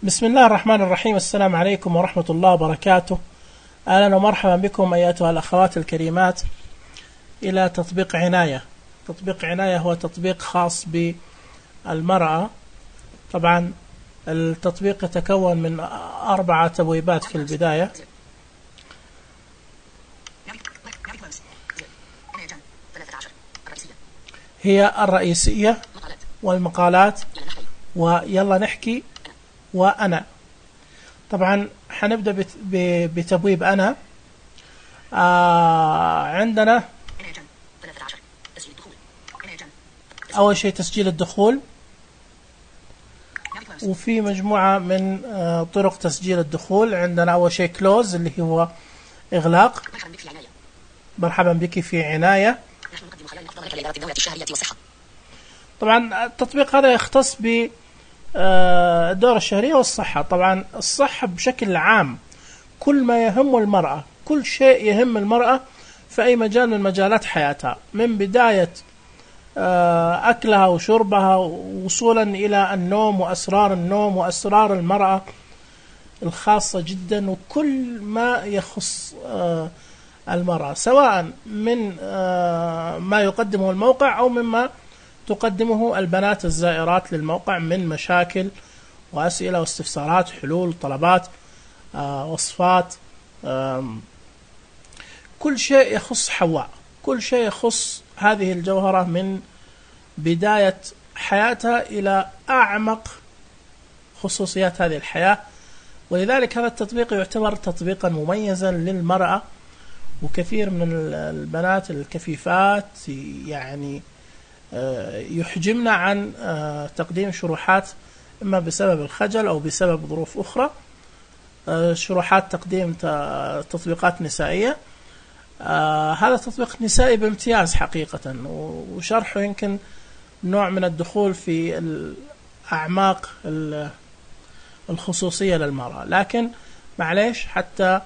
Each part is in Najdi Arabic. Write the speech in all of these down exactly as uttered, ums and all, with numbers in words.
بسم الله الرحمن الرحيم. السلام عليكم ورحمة الله وبركاته. أهلا ومرحبا بكم أيتها الأخوات الكريمات إلى تطبيق عناية. تطبيق عناية هو تطبيق خاص بالمرأة. طبعا التطبيق يتكون من أربعة تبويبات في البداية. هي الرئيسية والمقالات ويلا نحكي وأنا. طبعا حنبدأ بتبويب أنا. آه عندنا أول شيء تسجيل الدخول، وفي مجموعة من آه طرق تسجيل الدخول. عندنا أول شيء كلوز اللي هو إغلاق. مرحبا بك في عناية. طبعا التطبيق هذا يختص ب الدورة الشهرية والصحة. طبعا الصحة بشكل عام كل ما يهم المرأة، كل شيء يهم المرأة في أي مجال من مجالات حياتها، من بداية أكلها وشربها وصولا إلى النوم وأسرار النوم وأسرار المرأة الخاصة جدا، وكل ما يخص المرأة سواء من ما يقدمه الموقع أو مما تقدمه البنات الزائرات للموقع من مشاكل وأسئلة واستفسارات، حلول، طلبات، آه، وصفات، آه، كل شيء يخص حواء، كل شيء يخص هذه الجوهرة من بداية حياتها إلى أعمق خصوصيات هذه الحياة. ولذلك هذا التطبيق يعتبر تطبيقا مميزا للمرأة، وكثير من البنات الكفيفات يعني يحجمنا عن تقديم شروحات إما بسبب الخجل أو بسبب ظروف أخرى، شروحات تقديم تطبيقات نسائية. هذا تطبيق نسائي بامتياز حقيقة، وشرحه يمكن نوع من الدخول في الأعماق الخصوصية للمرأة، لكن معليش حتى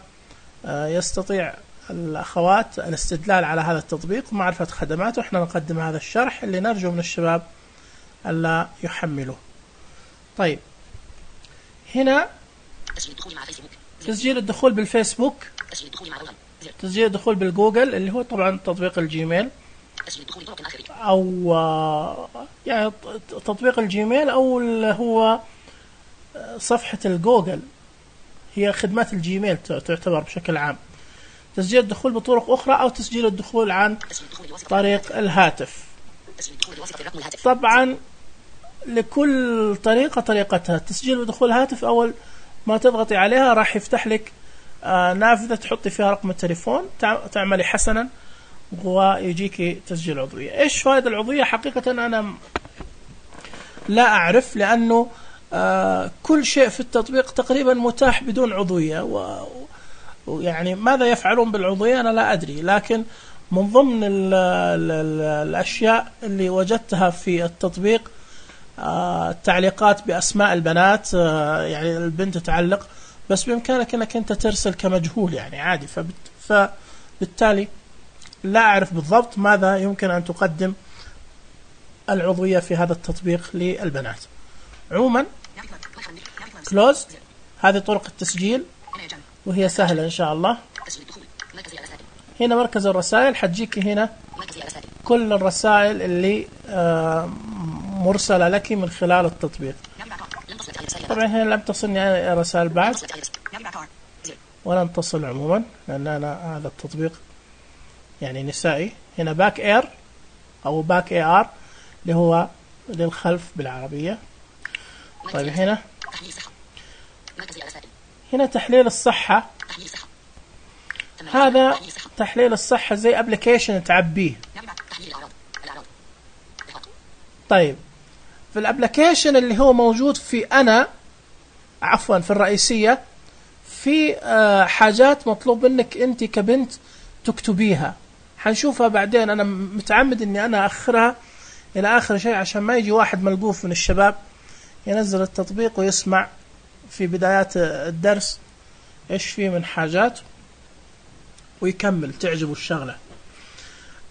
يستطيع الأخوات الاستدلال على هذا التطبيق ومعرفة خدماته، احنا نقدم هذا الشرح اللي نرجو من الشباب ألا يحملوه. طيب هنا تسجيل الدخول بالفيسبوك، تسجيل الدخول بالجوجل اللي هو طبعا تطبيق الجيميل، أو يعني تطبيق الجيميل أو اللي هو صفحة الجوجل، هي خدمات الجيميل تعتبر بشكل عام. تسجيل الدخول بطرق أخرى أو تسجيل الدخول عن طريق الهاتف. طبعا لكل طريقة طريقتها. تسجيل بدخول الهاتف أول ما تضغطي عليها راح يفتح لك نافذة تحطي فيها رقم التليفون، تعملي حسنا ويجيك تسجيل عضوية. إيش فائدة العضوية؟ حقيقة أنا لا أعرف، لأنه كل شيء في التطبيق تقريبا متاح بدون عضوية، و ويعني ماذا يفعلون بالعضوية أنا لا أدري. لكن من ضمن ال ال ال الأشياء اللي وجدتها في التطبيق التعليقات بأسماء البنات، يعني البنت تعلق بس بإمكانك أنك أنت ترسل كمجهول يعني عادي، فبالتالي لا أعرف بالضبط ماذا يمكن أن تقدم العضوية في هذا التطبيق للبنات. عموما كلوز هذه طرق التسجيل وهي سهلة إن شاء الله. هنا مركز الرسائل، حتجيك هنا كل الرسائل اللي مرسلة لك من خلال التطبيق. طبعا هنا لم تصلني رسائل بعد ولن تصل عموما، لأن أنا هذا التطبيق يعني نسائي. هنا باك اير أو باك اي ار اللي هو للخلف بالعربية. طيب هنا هنا تحليل الصحة. هذا تحليل الصحة زي ابليكيشن تعبيه. طيب في الابليكيشن اللي هو موجود في أنا عفوا في الرئيسية، في حاجات مطلوب منك أنت كبنت تكتبيها، حنشوفها بعدين. أنا متعمد أني أنا أخرها إلى آخر شيء عشان ما يجي واحد ملقوف من الشباب ينزل التطبيق ويسمع في بدايات الدرس إيش فيه من حاجات ويكمل تعجبه الشغلة.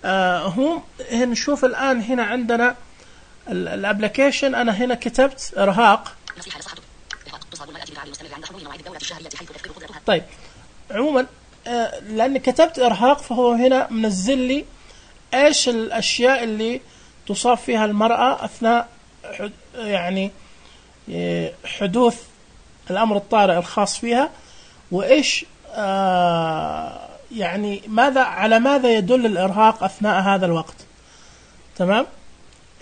آه هم نشوف الآن هنا عندنا الابليكيشن. أنا هنا كتبت إرهاق طيب عموما لأني كتبت إرهاق فهو هنا منزل لي إيش الأشياء اللي تصاب فيها المرأة أثناء يعني حدوث الأمر الطارئ الخاص فيها، وإيش آه يعني ماذا على ماذا يدل الإرهاق أثناء هذا الوقت. تمام.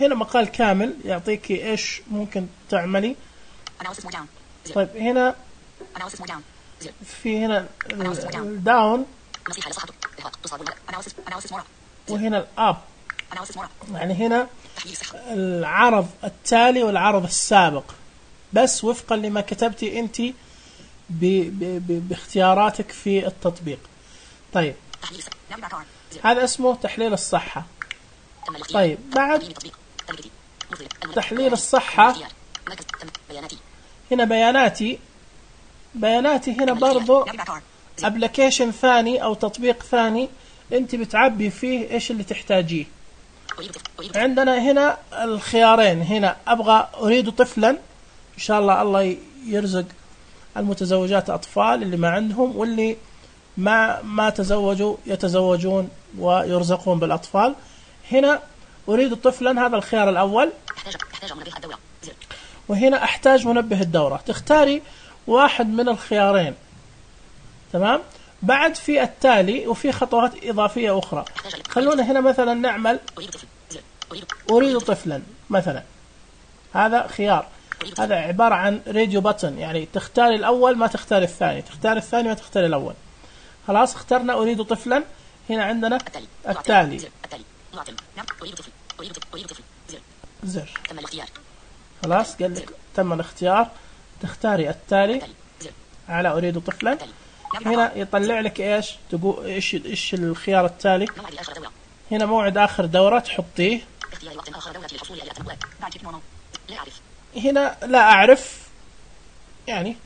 هنا مقال كامل يعطيك إيش ممكن تعملي. طيب هنا في هنا الداون وهنا الأب، يعني هنا العرض التالي والعرض السابق بس وفقا لما كتبتي أنت ب ب ب باختياراتك في التطبيق. طيب هذا اسمه تحليل الصحة. طيب بعد تحليل الصحة هنا بياناتي. بياناتي هنا برضو ابلكيشن ثاني او تطبيق ثاني انت بتعبي فيه ايش اللي تحتاجيه. عندنا هنا الخيارين، هنا ابغى اريد طفلا، ان شاء الله الله يرزق المتزوجات اطفال اللي ما عندهم، واللي ما ما تزوجوا يتزوجون ويرزقون بالاطفال. هنا اريد طفلا، هذا الخيار الاول. وهنا احتاج منبه الدورة، تختاري واحد من الخيارين. تمام. بعد في التالي وفي خطوات إضافية أخرى. خلونا هنا مثلا نعمل أريد طفلا مثلا، هذا خيار، هذا عبارة عن راديو بutton، يعني تختاري الأول ما تختاري الثاني، تختاري الثاني ما تختاري الأول. خلاص اخترنا أريد طفلا. هنا عندنا التالي زر، خلاص قال لك تم الاختيار، تختاري التالي على أريد طفلا. هنا يطلع لك إيش تقول إيش إيش الخيار التالي. هنا موعد آخر دورة تحطيه. هنا لا أعرف يعني،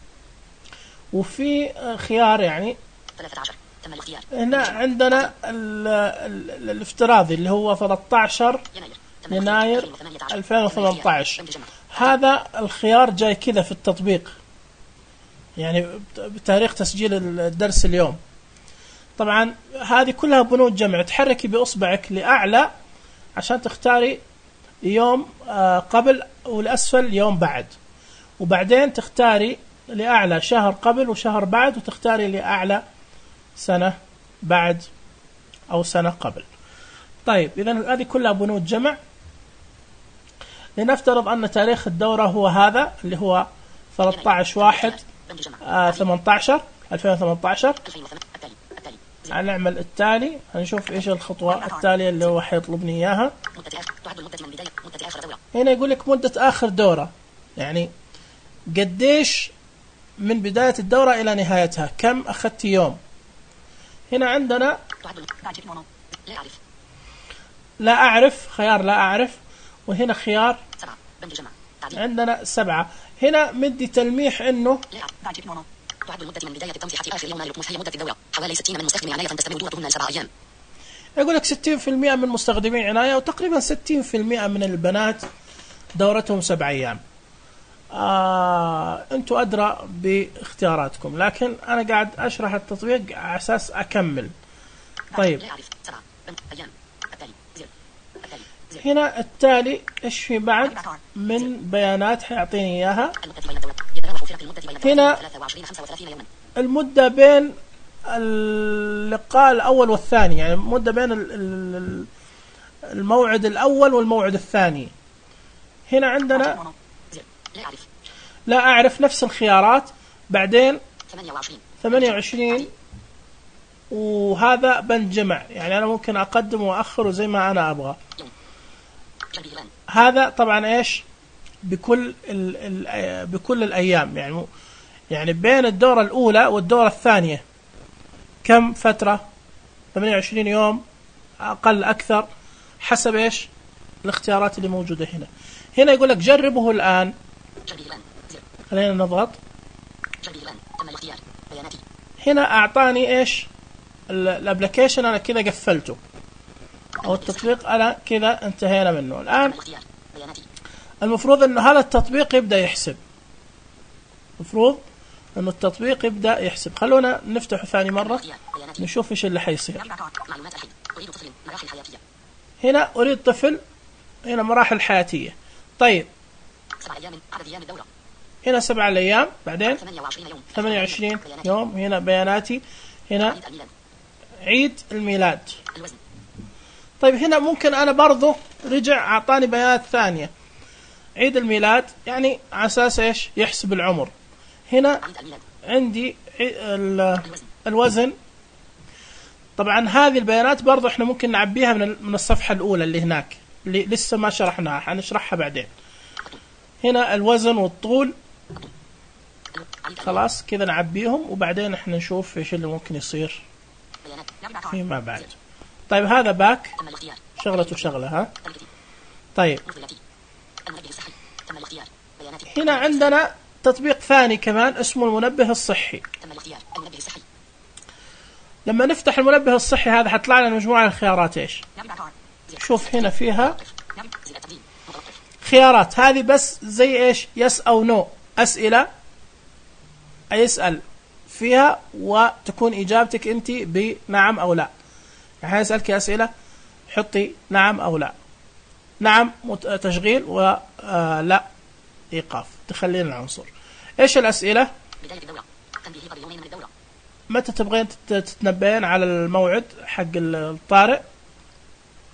وفي خيار يعني هنا عندنا ال ال الافتراضي اللي هو ثلاثة عشر يناير ألفين وثمانية عشر. هذا الخيار جاي كذا في التطبيق، يعني بتاريخ تسجيل الدرس اليوم. طبعا هذه كلها بنود جمع، تحركي بإصبعك لأعلى عشان تختاري يوم قبل والأسفل يوم بعد، وبعدين تختاري لأعلى شهر قبل وشهر بعد، وتختاري لأعلى سنة بعد أو سنة قبل. طيب إذن هذه كلها بنود جمع. لنفترض أن تاريخ الدورة هو هذا اللي هو ثلاثة عشر واحد ثمانية عشر ألفين وثمانية عشر. هنعمل التالي، هنشوف إيش الخطوة التالية اللي هو حيطلبني إياها. هنا يقول لك مدة آخر دورة، يعني قديش من بداية الدورة إلى نهايتها، كم أخذت يوم. هنا عندنا لا أعرف، خيار لا أعرف، وهنا خيار عندنا سبعة. هنا مدي تلميح إنه تعد المدة من بداية التمسيح آخر يوم للطموح هي مدة الدورة حوالي ستين من مستخدمي عناية تستمر دورتهن سبعة أيام. يقول لك ستين بالمئة من مستخدمي عناية، وتقريبا ستين بالمئة من البنات دورتهم سبع أيام. آه، أنتوا أدرى باختياراتكم، لكن أنا قاعد أشرح التطبيق على أساس أكمل. طيب هنا التالي إيش في بعد من بيانات حيعطيني إياها. هنا المدة بين اللقاء الأول والثاني، يعني المدة بين الموعد الأول والموعد الثاني. هنا عندنا لا أعرف، نفس الخيارات. بعدين ثمانية وعشرين، وهذا بند جمع، يعني أنا ممكن أقدم وأخر زي ما أنا أبغى. هذا طبعا إيش بكل ال ال بكل الأيام، يعني يعني بين الدورة الأولى والدورة الثانية كم فترة، ثمانية وعشرين يوم أقل أكثر، حسب إيش الاختيارات اللي موجودة هنا. هنا يقول لك جربه الآن. خلينا نضغط. هنا أعطاني إيش الابلكيشن، أنا كذا قفلته، أو التطبيق أنا كذا انتهينا منه. الآن المفروض أنه هذا التطبيق يبدأ يحسب. المفروض انه التطبيق يبدأ يحسب. خلونا نفتحه ثاني مرة نشوف ايش اللي حيصير. هنا اريد طفل، هنا مراحل حياتية. طيب هنا سبعة الايام، بعدين ثمانية وعشرين يوم، هنا بياناتي، هنا عيد الميلاد. طيب هنا ممكن انا برضو رجع اعطاني بيانات ثانية. عيد الميلاد يعني على اساس ايش؟ يحسب العمر. هنا عندي الوزن. طبعا هذه البيانات برضو احنا ممكن نعبيها من من الصفحة الاولى اللي هناك اللي لسه ما شرحناها، حنشرحها بعدين. هنا الوزن والطول، خلاص كذا نعبيهم، وبعدين احنا نشوف ايش اللي ممكن يصير فيما بعد. طيب هذا باك، شغلة وشغلة. ها طيب هنا عندنا تطبيق ثاني كمان اسمه المنبه الصحي. لما نفتح المنبه الصحي هذا حطلع لنا مجموعة من الخيارات. ايش؟ شوف هنا فيها خيارات، هذه بس زي ايش؟ يس او نو، اسئلة يسأل فيها وتكون اجابتك انت بنعم او لا. يعني يسألك اسئلة حطي نعم او لا. نعم تشغيل، ولا ايقاف تخلين العنصر. ايش الاسئلة؟ بداية الدورة، تنبيه قبل يومين من الدورة. متى تبغين تتنبين على الموعد حق الطارئ؟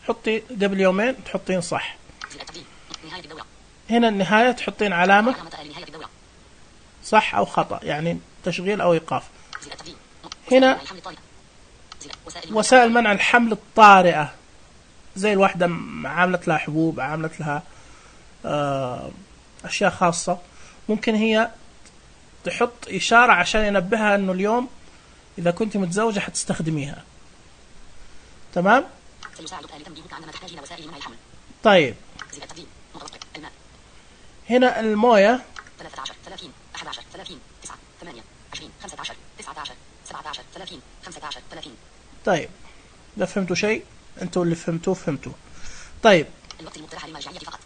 حطي قبل يومين تحطين صح. نهاية الدورة. هنا النهاية تحطين علامة نهاية الدورة. صح أو خطأ، يعني تشغيل أو إيقاف. هنا وسائل منع الحمل الطارئة، زي الواحدة عاملت لها حبوب، عاملت لها أشياء خاصة، ممكن هي تحط إشارة عشان ينبهها أنه اليوم إذا كنت متزوجة حتستخدميها. تمام؟ طيب هنا الموية طيب إذا فهمتوا شيء أنتوا اللي فهمتوه فهمتوه. طيب الوقت المقترح للمرجعية فقط.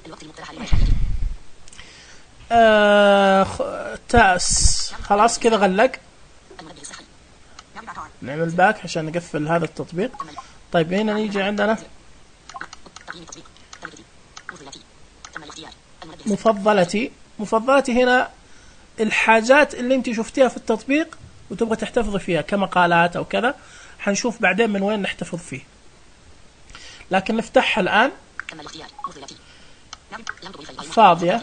الوقت المقترح للمرجعية. آه تاس خلاص كذا غلق. نعمل باك عشان نقفل هذا التطبيق. طيب هنا نيجي عندنا مفضلتي. مفضلتي هنا الحاجات اللي انت شفتيها في التطبيق وتبغى تحتفظي فيها كمقالات او كذا، حنشوف بعدين من وين نحتفظ فيه، لكن نفتحها الآن. فاضية،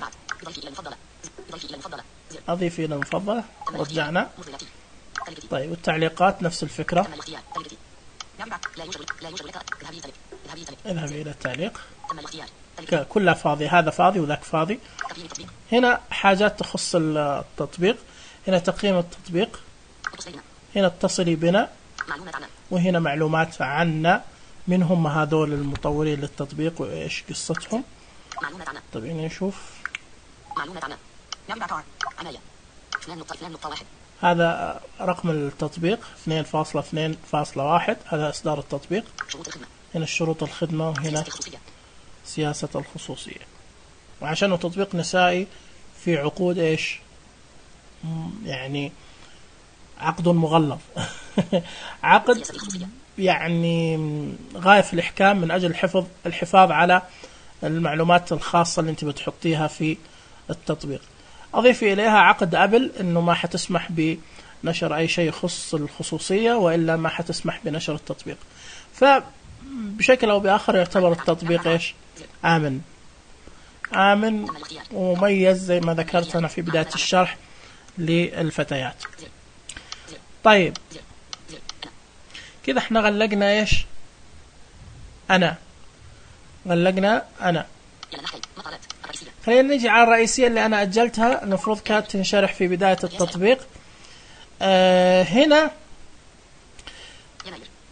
أضيف إلى المفضلة، رجعنا. طيب والتعليقات نفس الفكرة، اذهبي إلى التعليق، كلها فاضية، هذا فاضي وذاك فاضي. هنا حاجات تخص التطبيق، هنا تقييم التطبيق، هنا اتصلي بنا، وهنا معلومات عنا، من هم هذول المطورين للتطبيق وإيش قصتهم. طيب نشوف هذا رقم التطبيق اثنين فاصلة اثنين فاصلة واحد، هذا إصدار التطبيق. هنا الشروط الخدمة، وهنا سياسة الخصوصية. وعشانه تطبيق نسائي في عقود إيش يعني عقد مغلظ عقد يعني غاية في الإحكام من أجل الحفظ الحفاظ على المعلومات الخاصة اللي أنت بتحطيها في التطبيق. أضيف إليها عقد أبل إنه ما حتسمح بنشر أي شيء يخص الخصوصية، وإلا ما حتسمح بنشر التطبيق. فبشكل أو بآخر يعتبر التطبيق إيش آمن آمن ومميز زي ما ذكرت أنا في بداية الشرح للفتيات. طيب كده احنا غلقنا ايش انا غلقنا انا خلينا نجي على الرئيسية اللي انا اجلتها، المفروض كانت تنشرح في بداية التطبيق. آه هنا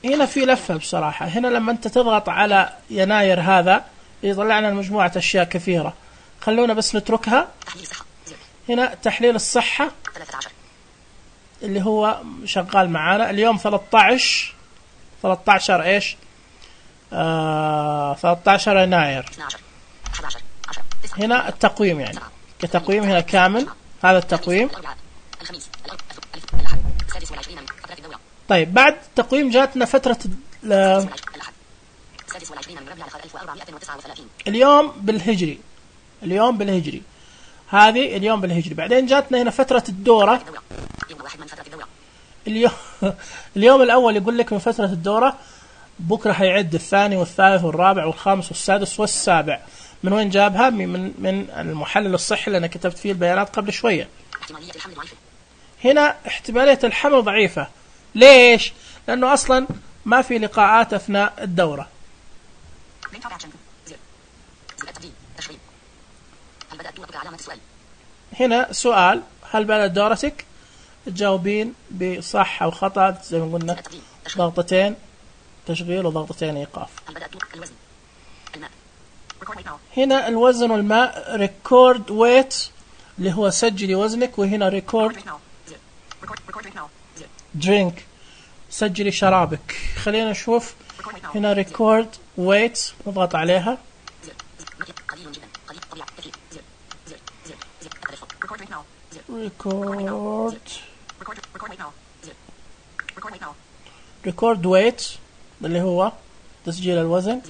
هنا في لفة بصراحة. هنا لما انت تضغط على يناير هذا يطلع لنا مجموعة اشياء كثيرة، خلونا بس نتركها. هنا تحليل الصحة اللي هو شغال معانا اليوم ثلاثة عشر ثلاثة عشر ايش آه ثلاثة عشر يناير. هنا التقويم يعني كتقويم هنا كامل هذا التقويم. الأربعاء الخميس الأحد السادس والعشرين من فترة الدورة. طيب بعد التقويم جاتنا فترة الأحد السادس والعشرين من ربيع الأخير ألف وأربعمائة وتسعة وثلاثين. اليوم بالهجري، اليوم بالهجري، هذه اليوم بالهجري. بعدين جاتنا هنا فترة الدورة. يوم واحد من فترة الدورة. اليوم اليوم الأول يقول لك من فترة الدورة، بكرة هيعد الثاني والثالث والرابع والخامس والسادس والسابع. من وين جابها؟ من من المحلل الصحي اللي أنا كتبت فيه البيانات قبل شوية. احتمالية الحمل ضعيفة. هنا احتمالية الحمل ضعيفة. ليش؟ لأنه أصلا ما في لقاءات أثناء الدورة. هل بدأت دورتك؟ علامة السؤال. هنا سؤال، هل بدأت دورتك؟ تجاوبين بصح أو خطأ زي ما قلنا، ضغطتين تشغيل وضغطتين إيقاف. هل بدأت دورتك؟ الوزن الماء. هنا الوزن والماء ريكورد ويت اللي هو سجلي وزنك، وهنا ريكورد درينك سجلي شرابك. خلينا نشوف هنا ريكورد ويت، نضغط عليها. قليل جدا قليل طبيعي كثير. ريكورد ريكورد ويت اللي هو تسجيل الوزن.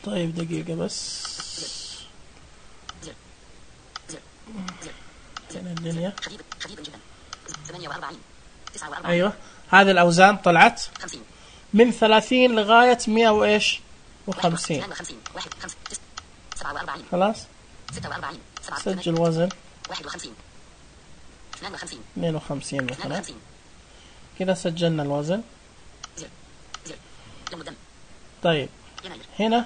طيب دقيقة بس، هنا الدنيا. أيوة هذه الأوزان طلعت من ثلاثين لغاية مئة وإيش وخمسين. خلاص سجل وزن اثنين وخمسين مثلا. كذا سجلنا الوزن. طيب هنا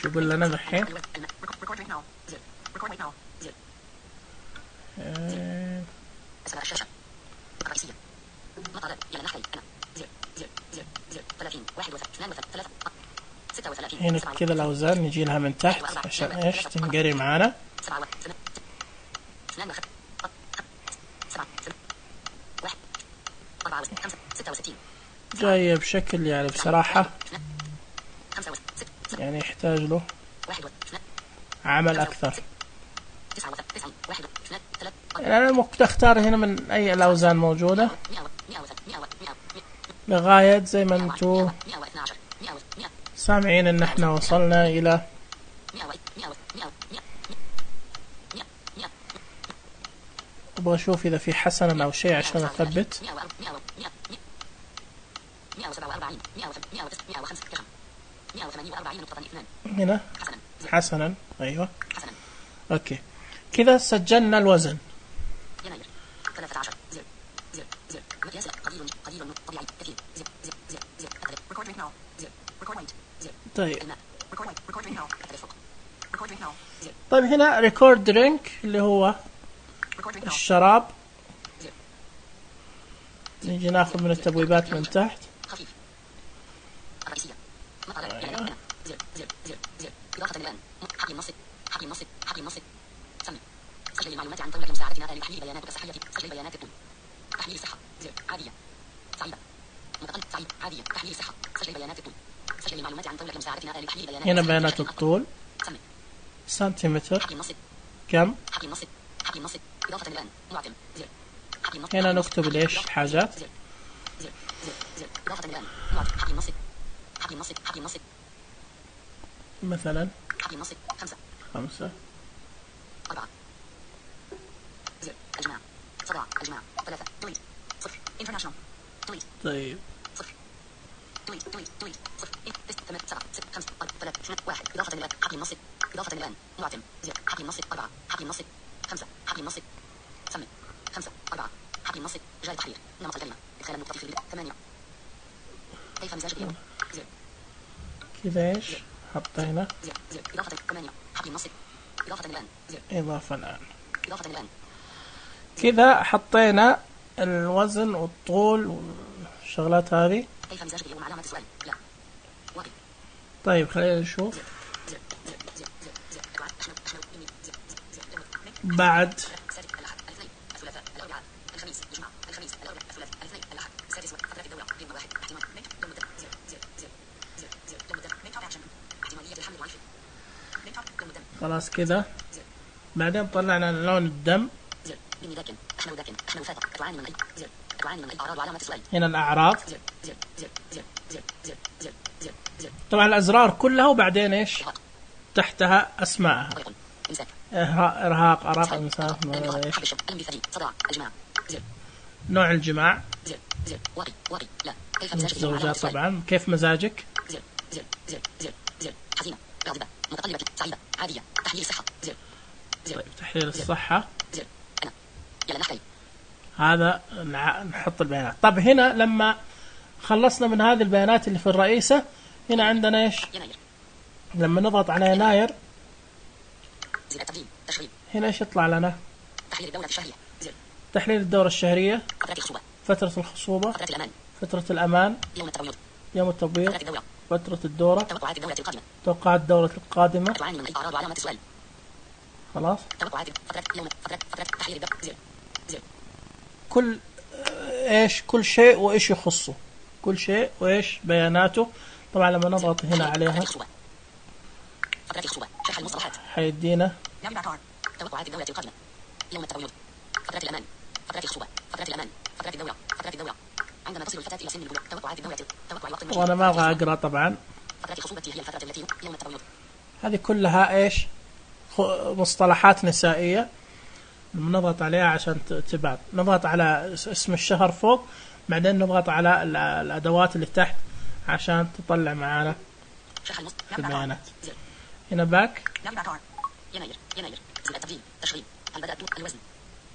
شو يقول لنا الحين؟ هنا كذا الأوزان نجي لها من تحت عشان إيش تنقري معانا. جاية بشكل يعني بصراحة يعني يحتاج له عمل أكثر. يعني أنا ممكن أختار هنا من أي الأوزان موجودة لغاية زي ما أنتوا سامعين إن إحنا وصلنا إلى أبغى أشوف إذا في حسنة أو شيء عشان أثبت. هنا حسنا. أيوة أوكي كذا سجلنا الوزن. طيب طيب هنا ريكورد درينك اللي هو الشراب. نيجي ناخذ من التبويبات من تحت. أيوة. سجل المعلومات عن طريق مساعدتنا لتحليل بياناتك الصحية. سجل بيانات الطول. تحليل الصحة. عادية. سعيدة. متقلب. سعيد. عادية. تحليل الصحة. سجل بيانات الطول. سجل المعلومات عن طريق مساعدتنا لتحليل بيانات. هنا بيانات الطول. سنتيمتر. كم؟ إضافة الآن. معتم. هنا نكتب ليش حاجات. إضافة الآن. معتم. مثلا خمسة. خمسة. أربعة. الجماع. صداع. الجماع. ثلاثة. دويت. صفر. international. دويت. طيب. صفر. دويت. دويت. دويت. صفر. ثمانية. سبعة. ستة. خمسة. أربعة. ثلاثة. اثنين. واحد. إضافة الآن. حقي النص. إضافة الآن. معتم. زر. حقي النص. أربعة. حقي النص. خمسة. حقي النص. ثمانية. خمسة. أربعة. حقي النص. جاي تحرير. نمط الكلمة. إدخال النقطة في البداية. ثمانية. كيف مزاج اليوم؟ زر. كذا إيش؟ حطينا. زر. زر. إضافة ثمانية. حقي النص. إضافة الآن. زر. إضافة الآن. إضافة الآن. كذا حطينا الوزن والطول والشغلات هذه. كيف مزاجك اليوم؟ علامة السؤال. لا. واقف. طيب خلينا نشوف. بعد سادس فترة الدورة قيمة واحد احتمال ميت يوم الدم زر زر زر زر زر يوم الدم ميت أكشن احتمالية الحمل والعفن ميت يوم الدم خلاص كذا. بعدين طلعنا لون الدم. زر إني ذاكن أحمل ذاكن أحمل فاتح تعاني من أي زر تعاني من أي أعراض وعلامة السؤال. هنا الأعراض. زر زر زر زر زر زر زر زر زر طبعا الأزرار كلها وبعدين إيش تحتها أسماءها. إمساك إرهاق أراق إنسان إيش صداع الجماع زر نوع الجماع زر زر واقي واقي لا كيف الزوجات طبعا كيف مزاجك زر زر زر زر زر حزينة غاضبة متقلبة سعيدة عادية تحليل الصحة زر زر طيب تحليل الصحة زر أنا يلا نحكي هذا نحط البيانات. طب هنا لما خلصنا من هذه البيانات اللي في الرئيسة هنا عندنا إيش يناير لما نضغط على يناير زر التقديم تشغيل هنا إيش يطلع لنا تحليل الدورة الشهرية زر تحليل الدورة الشهرية فترة الخصوبة فترة الخصوبة فترة الأمان فترة الأمان يوم التبويض يوم التبويض فترة الدورة فترة الدورة توقعات الدورة القادمة توقعات الدورة القادمة تعاني من أي أعراض وعلامة السؤال خلاص توقعات فترة يوم فترة فترة تحليل الدورة زر زر كل إيش كل شيء وإيش يخصه كل شيء وإيش بياناته. طبعا لما نضغط هنا عليها فترة الخصوبة شرح المصطلحات حيدينا توقعات الدورة القادمة يوم التبويض فترة الأمان فترة الخصوبة فترة الأمان فترة الدورة فترة الدورة عندما تصل الفتاة إلى سن البلوغ توقعات الدورة توقع الوقت المشي وأنا ما أبغى أقرأ طبعا. فترة الخصوبة هي الفترة التي يوم التبويض هذه كلها إيش مصطلحات نسائية. نضغط عليها عشان تبان نضغط على اسم الشهر فوق بعدين نضغط على الأدوات اللي تحت عشان تطلع معانا البيانات. هنا باك يناير يناير زر التقديم تشغيل البدء الوزن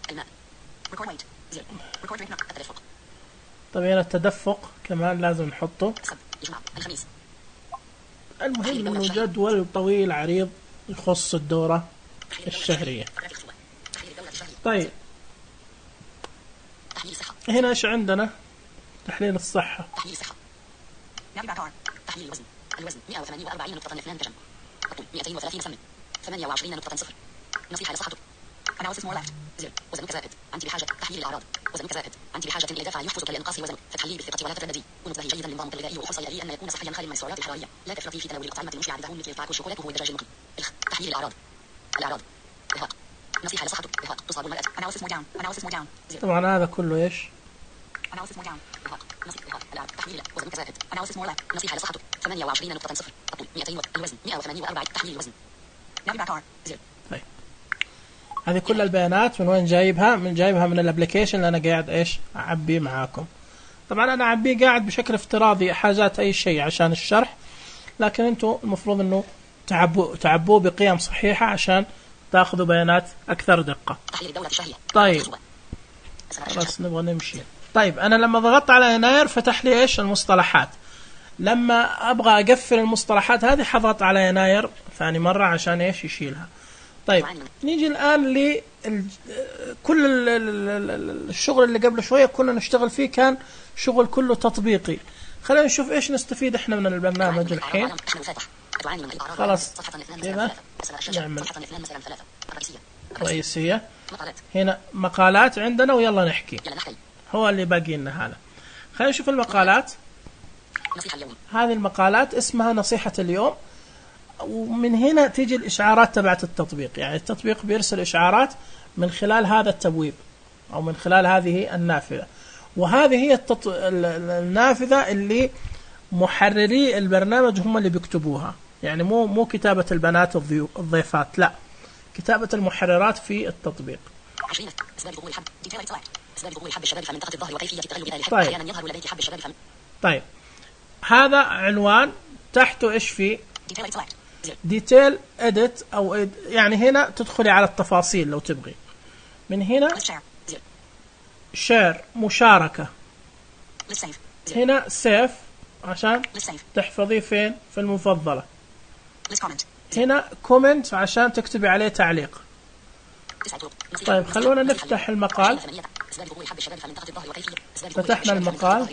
الماء ريكورد ويت زر ريكورد ريت التدفق. طيب هنا التدفق كمان لازم نحطه. الجمعة الخميس. المهم انه جدول طويل عريض يخص الدورة الشهرية. طيب هنا ايش عندنا تحليل الصحة تحليل الصحة تحليل الوزن الوزن مئة وثمانية وأربعين نقطة اثنان دجم الطول مئتين وثلاثين سم ثمانية وعشرين نقطة صفر نصيحة لصحتك Analysis more left زر وزنك زائد أنت بحاجة تحليل الأعراض وزنك زائد أنت بحاجة إلى دفع يحفزك لإنقاص وزنك فتحليه بالثقة ولا تترددي ونصبه جيدا لنظامك الغذائي وحرص على أن يكون صحيا خالي من السعرات الحرارية لا تفرطي في تناول الأطعمة المشبعة بدهون مثل الطعام والشوكولاتة والدجاج المقلي. تحليل الأعراض الأعراض إرهاق نصيحة لصحتك إرهاق تصاب المرأة Analysis more down Analysis more down طبعا هذا كله إيش Analysis more down إرهاق نصيحة إرهاق الأعراض تحليل وزنك زائد Analysis more left نصيحة لصحتك ثمانية وعشرين نقطة صفر الطول مئتين الوزن مئة وثمانية وأربعين تحليل الوزن زر. طيب هذه كل البيانات من وين جايبها من جايبها من الابليكيشن اللي انا قاعد ايش اعبيه معاكم. طبعا انا اعبيه قاعد بشكل افتراضي حاجات اي شيء عشان الشرح لكن انتم المفروض انه تعبوا تعبوه بقيم صحيحة عشان تاخذوا بيانات اكثر دقة. طيب خلاص نبغى نمشي. طيب انا لما ضغطت على يناير فتح لي ايش المصطلحات. لما ابغى اقفل المصطلحات هذه حضغط على يناير ثاني مرة عشان ايش يشيلها. طيب نيجي الآن ل كل الشغل اللي قبل شوية كنا نشتغل فيه كان شغل كله تطبيقي. خلينا نشوف إيش نستفيد إحنا من البرنامج الحين. خلاص كذا نعمل رئيسية هنا مقالات عندنا ويلا نحكي هو اللي باقي لنا هذا. خلينا نشوف المقالات. هذه المقالات اسمها نصيحة اليوم ومن هنا تيجي الإشعارات تبعت التطبيق. يعني التطبيق بيرسل إشعارات من خلال هذا التبويب أو من خلال هذه النافذة وهذه هي التط... النافذة اللي محرري البرنامج هم اللي بيكتبوها. يعني مو مو كتابة البنات الضيفات لا كتابة المحررات في التطبيق. طيب طيب هذا عنوان تحته إيش فيه ديتيل اديت او يعني هنا تدخلي على التفاصيل لو تبغي. من هنا شير مشاركة هنا سيف عشان تحفظيه فين في المفضلة. هنا كومنت عشان تكتبي عليه تعليق. طيب خلونا نفتح المقال. فتحنا المقال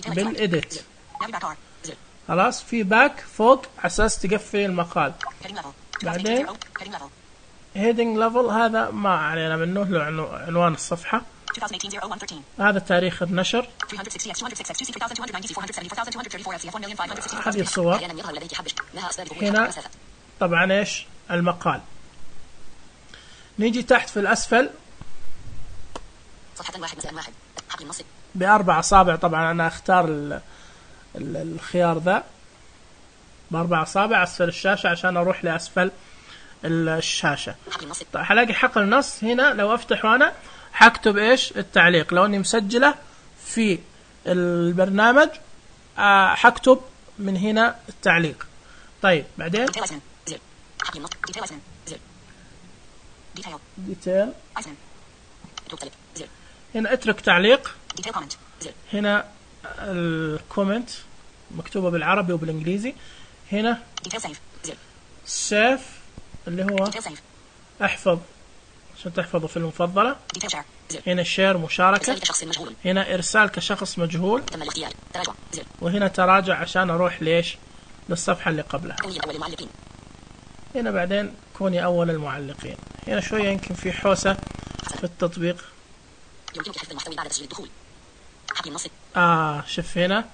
بالإديت خلاص في باك فوق أساس تقفل المقال. بعدين heading level هذا ما علينا منه له عنوان الصفحة. هذا تاريخ النشر. هذه الصور. هنا طبعا ايش المقال. نيجي تحت في الأسفل بأربع أصابع. طبعا أنا أختار ال ال الخيار ذا بأربع أصابع أسفل الشاشة عشان أروح لأسفل الشاشة. طيب حلاقي حقل النص. هنا لو أفتحه أنا حكتب إيش التعليق. لو أني مسجلة في البرنامج حكتب من هنا التعليق. طيب بعدين ديتيل. هنا اترك تعليق. هنا الكومنت مكتوبة بالعربي وبالإنجليزي. هنا سيف اللي هو احفظ عشان تحفظه في المفضلة. هنا شير مشاركة. هنا إرسال كشخص مجهول. وهنا تراجع عشان أروح ليش للصفحة اللي قبلها. هنا بعدين كوني أول المعلقين. هنا شوية يمكن في حوسة في التطبيق. يمكنك حفظ المحتوى بعد تسجيل الدخول. حكي النص. آه شوف هنا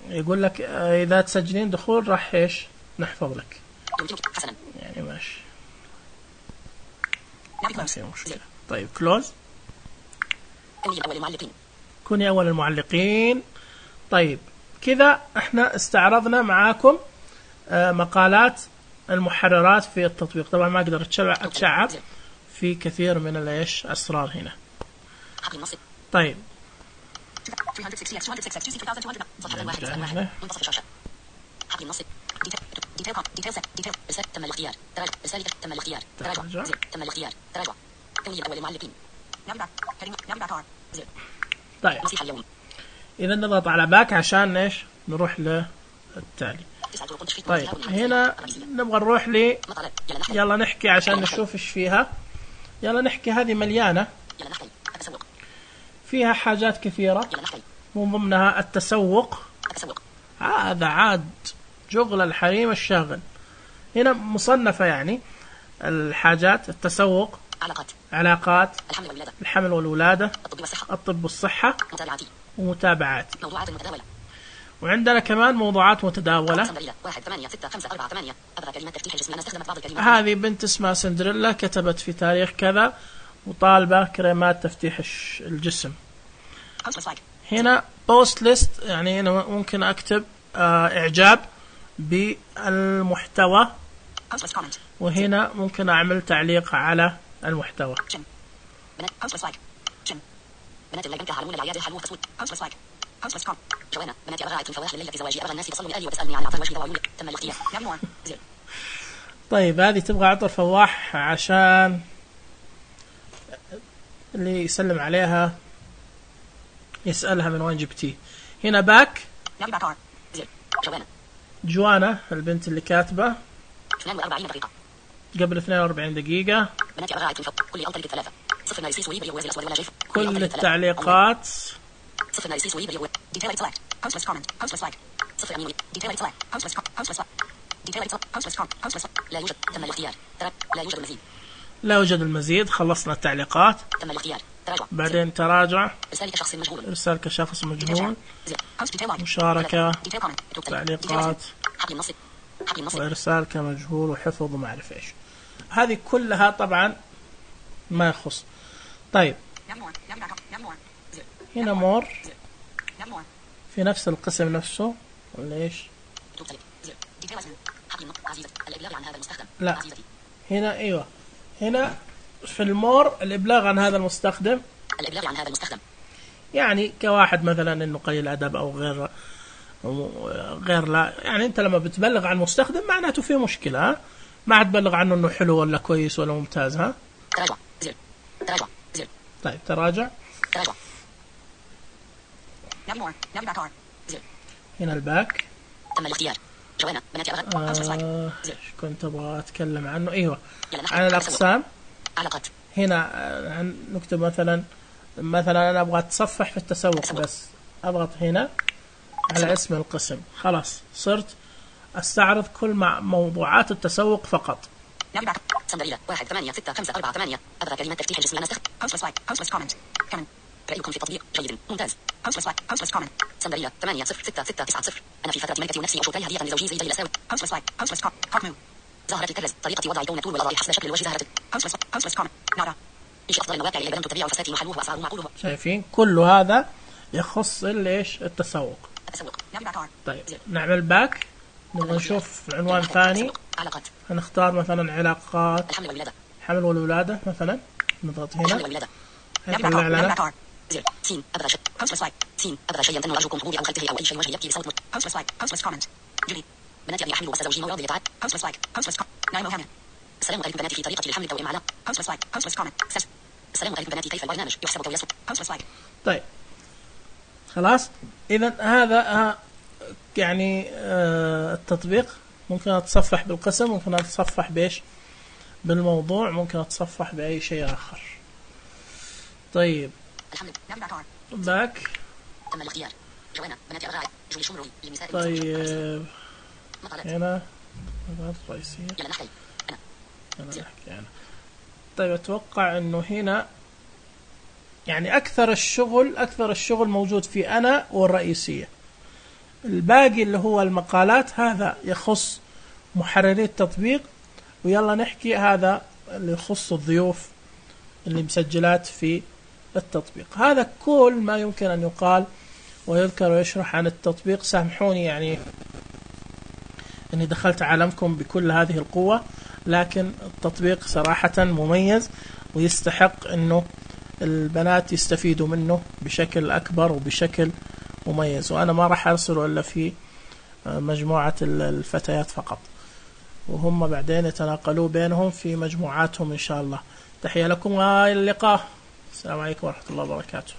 يقول لك آه إذا تسجلين دخول راح إيش نحفظ لك. يمكنك حسنا. يعني ماشي. ما في مشكلة. طيب كلوز. كوني أول المعلقين. كوني أول المعلقين. طيب كذا احنا استعرضنا معاكم آه مقالات المحررات في التطبيق. طبعا ما أقدر أتشعب في كثير من الإيش أسرار هنا. طيب تم الاختيار. تراجع. رسالة تم الاختيار. تراجع. تم الاختيار. تراجع. كوني أول المعلقين. طيب إذا نضغط على باك عشان إيش نروح للتالي. طيب هنا نبغى نروح لي يلا نحكي عشان نشوف إيش فيها. يلا نحكي. هذه مليانة فيها حاجات كثيرة من ضمنها التسوق. هذا عاد شغل الحريم الشاغل. هنا مصنفة يعني الحاجات التسوق. علاقات. علاقات. الحمل والولادة. الحمل والولادة. الطب والصحة. الطب والصحة. متابعاتي. ومتابعاتي. موضوعات متداولة. وعندنا كمان موضوعات متداولة. واحد ثمانية ستة خمسة أربعة ثمانية. أبغى كلمات تفتيح الجسم. أنا استخدمت بعض الكلمات. هذه بنت اسمها سندريلا كتبت في تاريخ كذا وطالبة كريمات تفتيح الجسم. هنا بوست ليست يعني أنا ممكن أكتب آه إعجاب بالمحتوى. وهنا ممكن أعمل تعليق على المحتوى. بنات اللي بنتها على العيادة حلوة تصويت. جوانا بناتي أبغى أعيد فواحد الليلة في زواجي. أبغى الناس يتصلوا لي وتسألني عن عطر وجهي وعيوني. تم الاختيار. طيب هذه تبغى عطر فواح عشان اللي يسلم عليها يسألها من وين جبتيه. هنا باك. جوانا. جوانا البنت اللي كاتبة اثنين وأربعين دقيقة. قبل اثنين وأربعين دقيقة. بناتي أبغى أعيد فوق. كل ألطل ثلاثة. صفر نايسيس ويبري ويزي الأسود ولا جيف. كل التعليقات. صفر نايسيس ويبري و detailed select. Postless comment. Postless like. صفر أمين. detailed select. Postless postless detailed postless postless لا يوجد. تم الاختيار. لا يوجد المزيد. لا يوجد المزيد. خلصنا التعليقات. تم الاختيار. تراجع. بعدين تراجع. إرسال كشخص مجهول. إرسال كشخص مجهول. مشاركة. تعليقات. وإرسال كمجهول وحفظ وما أعرف إيش. هذه كلها طبعا ما يخص. طيب هنا مور في نفس القسم نفسه ولا إيش؟ لا هنا أيوة هنا في المور الإبلاغ عن هذا المستخدم. الإبلاغ عن هذا المستخدم يعني كواحد مثلا إنه قليل أدب أو غير غير لا يعني أنت لما بتبلغ عن مستخدم معناته فيه مشكلة. ها ما تبلغ عنه إنه حلو ولا كويس ولا ممتاز. ها تراجع زر تراجع زر. طيب تراجع. تراجع. هنا الباك. تم الاختيار. جوانا بناتي أبغى. آه كنت أبغى أتكلم عنه. أيوة عن الأقسام. علاقات. هنا آه نكتب مثلا مثلا أنا أبغى أتصفح في التسوق تسوق. بس أضغط هنا على تسوق. اسم القسم. خلاص صرت أستعرض كل مع موضوعات التسوق فقط. سندريلا واحد ثمانية ستة خمسة أربعة ثمانية أبغى كلمات تفتيح الجسم. أنا استخدم hostless like hostless comment كمان. رأيكم في التطبيق جيد ممتاز. hostless like hostless comment سندرية ثمانية صفر ستة ستة تسعة صفر. أنا في فترة ملكتي ونفسي وشوكاي هدية لزوجي زي جيل أساوي. hostless like hostless comment comment ظهرت الكرز طريقة وضع كون طول والأضاء حسب شكل الوجه ظهرت. hostless hostless comment نارا إيش أفضل المواقع اللي بدأت تبيع فساتين وحلوه وأسعاره معقوله. شايفين كل هذا يخص ليش التسوق. التسوق. طيب نعمل باك نبغى نشوف عنوان ثاني. علاقات. هنختار مثلا علاقات الحمل والولادة. حمل والولادة مثلا نضغط هنا. الحمل والولادة. هيطلع لنا زر سين أبغى شيء hostless like سين أبغى شيء يمتن أرجوكم حضوري أو خلفه أو أي شيء وجهي يبكي بصوت مت. hostless like hostless comment جلي بناتي أبي أحمل بس زوجي مو راضي يتعب. hostless like hostless comment نايمة وهنا. السلام عليكم بناتي في طريقتي للحمل التوأم على. hostless like hostless comment سس. السلام عليكم بناتي كيف البرنامج يحسب أو يسب. hostless like. طيب خلاص إذا هذا آه يعني آه التطبيق ممكن أتصفح بالقسم ممكن أتصفح بإيش بالموضوع ممكن أتصفح بأي شيء آخر. طيب باك. تم الاختيار. جوانا بناتي أبغى جولي شمروي للنساء. طيب هنا الرئيسية. يلا نحكي أنا. أنا أحكي أنا. طيب أتوقع إنه هنا يعني أكثر الشغل أكثر الشغل موجود في أنا والرئيسية. الباقي اللي هو المقالات هذا يخص محرري التطبيق. ويلا نحكي هذا اللي يخص الضيوف اللي مسجلات في التطبيق. هذا كل ما يمكن أن يقال ويذكر ويشرح عن التطبيق. سامحوني يعني أني دخلت عالمكم بكل هذه القوة لكن التطبيق صراحة مميز ويستحق أنه البنات يستفيدوا منه بشكل أكبر وبشكل مميز. وأنا ما راح أرسله إلا في مجموعة الفتيات فقط وهم بعدين يتناقلوا بينهم في مجموعاتهم إن شاء الله. تحية لكم وإلى اللقاء. السلام عليكم ورحمة الله وبركاته.